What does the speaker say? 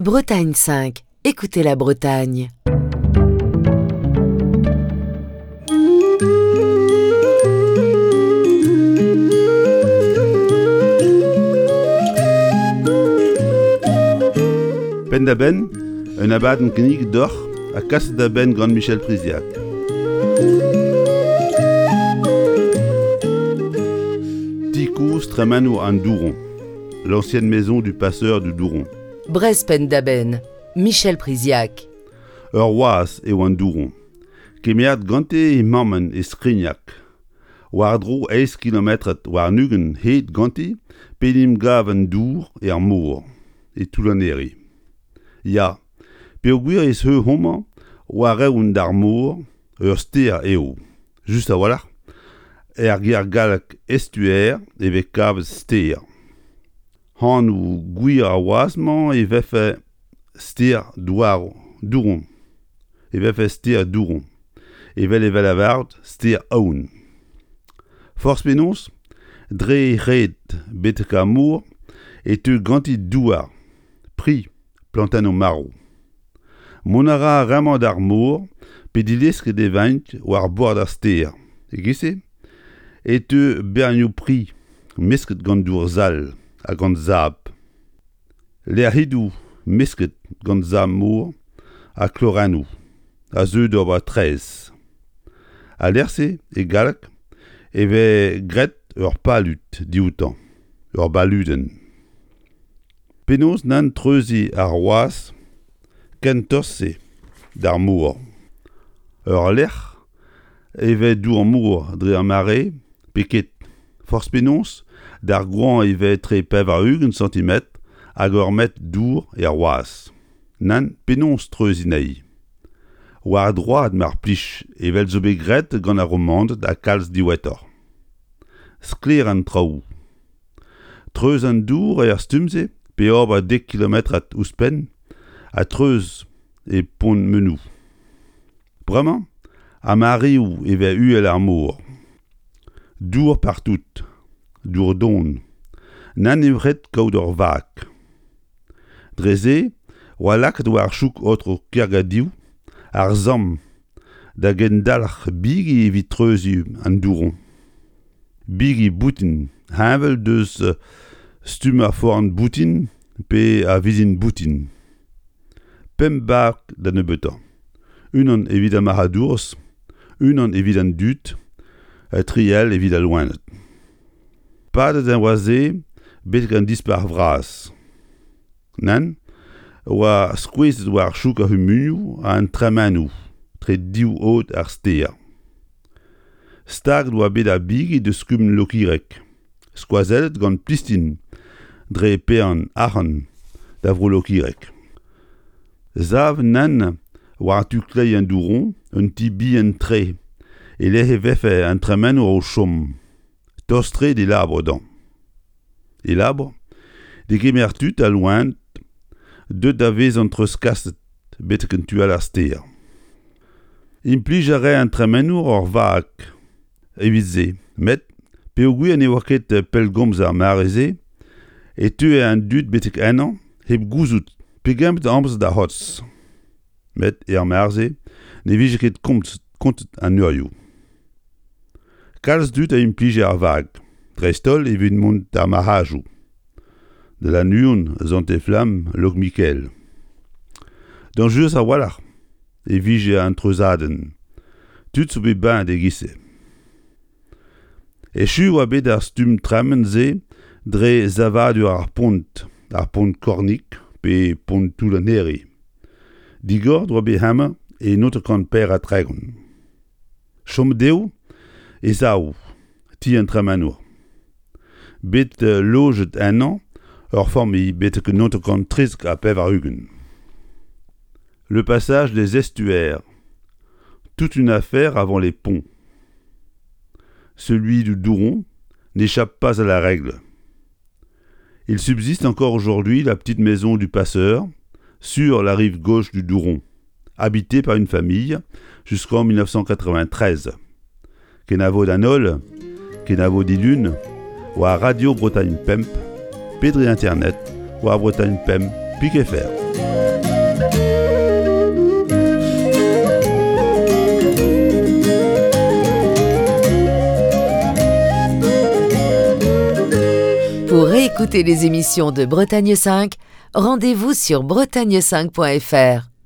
Bretagne 5, écoutez la Bretagne. Penn-da-benn, un abadenn kinniget deoc'h ha kaset da benn gant Michel Priziac. Ti kozh tremenour an Douron, l'ancienne maison du passeur du Douron. Brest penn-da-benn, Michel Priziac. Ur wazh eo an Douron, kemeret gante he mammenn e Skrignag. War-dro eizh kilometr warn-ugent hed ganti p'en em gav an dour er mor, e Toull-an-Here. Ya, peogwir ez eo homañ war-eeun d'ar mor, ur stêr eo, just a-walc'h, er ger gallek estuaire e vez kavet stêr. Anv gwir ar wazh-mañ e vefe stêr Douron, e vefe stêr Douron, evel e vez lavaret stêr Aon. Forzh penaos, dre he red betek ar mor e teu ganti douar, pri, plantennoù marv. Mont a ra ar re-mañ d'ar mor pe dilesket e vaint war bord ar stêr. E-giz-se e teu bernioù pri mesket gant dour sall ha gant sabl. Lec'hidoù mesket gant sabl-mor ha klorennoù a zeu d'ober traezh. Al lec'h-se, e galleg, e vez graet ur palud dioutañ, ur baludenn. Penaos nann treuziñ ar wazh ken tost-se d'ar mor? Ur lec'h e vez dour-mor dre ar mare pe ket, forzh penaos, d'ar goañv e vez etre 80 santimetr hag ur metr dour er wazh. Nann, penaos treuziñ anezhi? War droad mar plij evel zo bet graet gant ar Romaned ha kalz diwezhatoc'h. Sklaer an traoù. Treuz an dour er stumm-se pe ober dek kilometrad ouzhpenn ha treuz e Pont-Menou. Bremañ ha mareoù e vez uhel ar mor. Dour partout, dour don. Nann eo ret kaout ur vag. Dre-se oa lakaet war chouk aotrou Kergadiou ar samm da gendalc'h bigi evit treuziñ an douroñ. Bigi boutin heñvel deus stumm ar forn boutin pe ar vizin boutin. Pemp bag da nebeutañ. Unan evit ar marc'hadourez, unan evit an dud, ha tri all evit al loened. Padet e oa se betek an Dispac'h vras. Nann, oa skouezet war chouk ar c'humunioù ha an tremenoù tre div aod ar stêr. Staget oa bet ar bigi deus kumun Lokireg, skoazellet gant Plistin dre paeañ arc'hant da vro Lokireg. Sav nann war tu kleiz an Douron un ti bihan-tre e-lec'h e vefe an tremenour o chom, tost-tre d'e labour dezhañ. E labour, degemer tud ha loened deuet da vezañ treuzkaset betek an tu all ar stêr. Implij a rae an tremenour ur vag evit se met peogwir ne oa ket pellgomz ar mare-se e teue an dud betek ennañ hep gouzout pegement amzer da c'hortoz. Met er mare-se ne vije ket kontet an eurioù. Kalz dud a implije ar vag, dreist-holl evit mont d'ar marc'hadoù. Da Lannuon, Sant-Eflamm, Lokmikael. Dañjerus a-walc'h e vije an treuzadenn. Tud zo bet baet e-giz-se. Echu e oa bet ar stumm tremen-se dre savadur ar pont, ar pont Kornig pe pont Toull an Here. Digoret oa bet hemañ e 1934. Chomet eo e sav ti an tremenour. Bet lojet ennañ ur familh betek 1993. Le passage des estuaires. Toute une affaire avant les ponts. Celui du Douron n'échappe pas à la règle. Il subsiste encore aujourd'hui la petite maison du passeur sur la rive gauche du Douron, habitée par une famille jusqu'en 1993. Kenavo d'an holl, kenavo dilun, war Radio Bretagne Pemp, pe dre internet war bretagne pemp pik fr. Pour réécouter les émissions de Bretagne 5, rendez-vous sur bretagne5.fr.